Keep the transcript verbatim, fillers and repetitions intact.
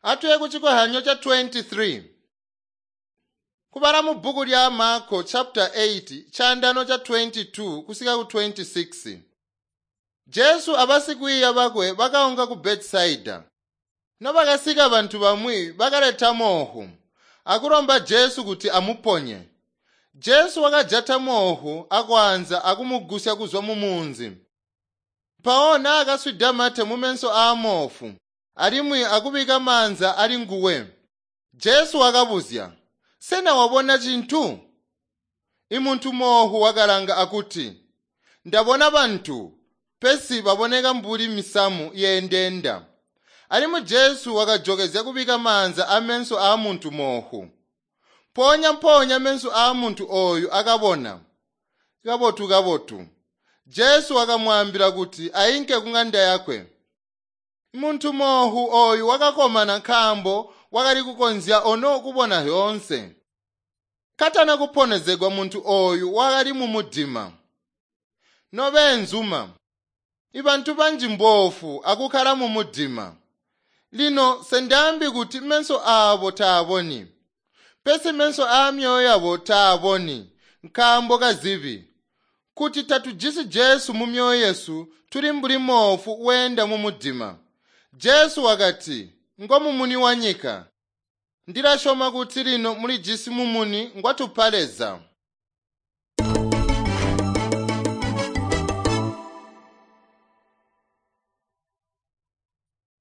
Atuye kuchikohyanyo cha twenty-three. Kubala mu bbuku lya Marko chapter eight chandano cha twenty-two kusika ku twenty-six. Jesu abasikwiiya bakwe bakaunka ku Betisaida. Nobakasika bantu bamwi bakaleta moohu akulomba Jesu kuti amuponye. Jesu wakajata moohu akwaanza akumugusya kuzwa mu munzi. Mpawo naakaswida mate mumeso aa moofu alimwi akubika maanza ali nguwe. Jesu wakabuzya, "Sena wabona cintu?" Imuntu moohu wakalanga akuti, "Ndabona bantu, pesi baboneka mbuli misamu yeendenda." Alimwi Jesu wakajokezya kubika maanza ameso aamuntu moohu. Mpoonya mpoonya meso aamuntu ooyu akabona kabotu kabotu. Jesu wakamwaambila kuti ainke kung'anda yakwe. Muntu moohu ooyu wakakomana nkaambo wakali kukonzya ono kubona zyoonse. Katana kuponezegwa muntu ooyu wakali mumudima. Nobeenzuma, ibantu banji mboofu akukkala mumudima. Lino sendaambi kuti meso aabo taaboni, pesi meso aamyoyo yabo taaboni nkaambo kazibi. Kuti tatujisi Jesu mu myoyo yesu, tuli mbuli moofu weenda mumudima. Jesu wakati, "Ngomumuni wa nyika." Ndilasyoma kuti lino mulijisi mumuni ngwatupa Leza.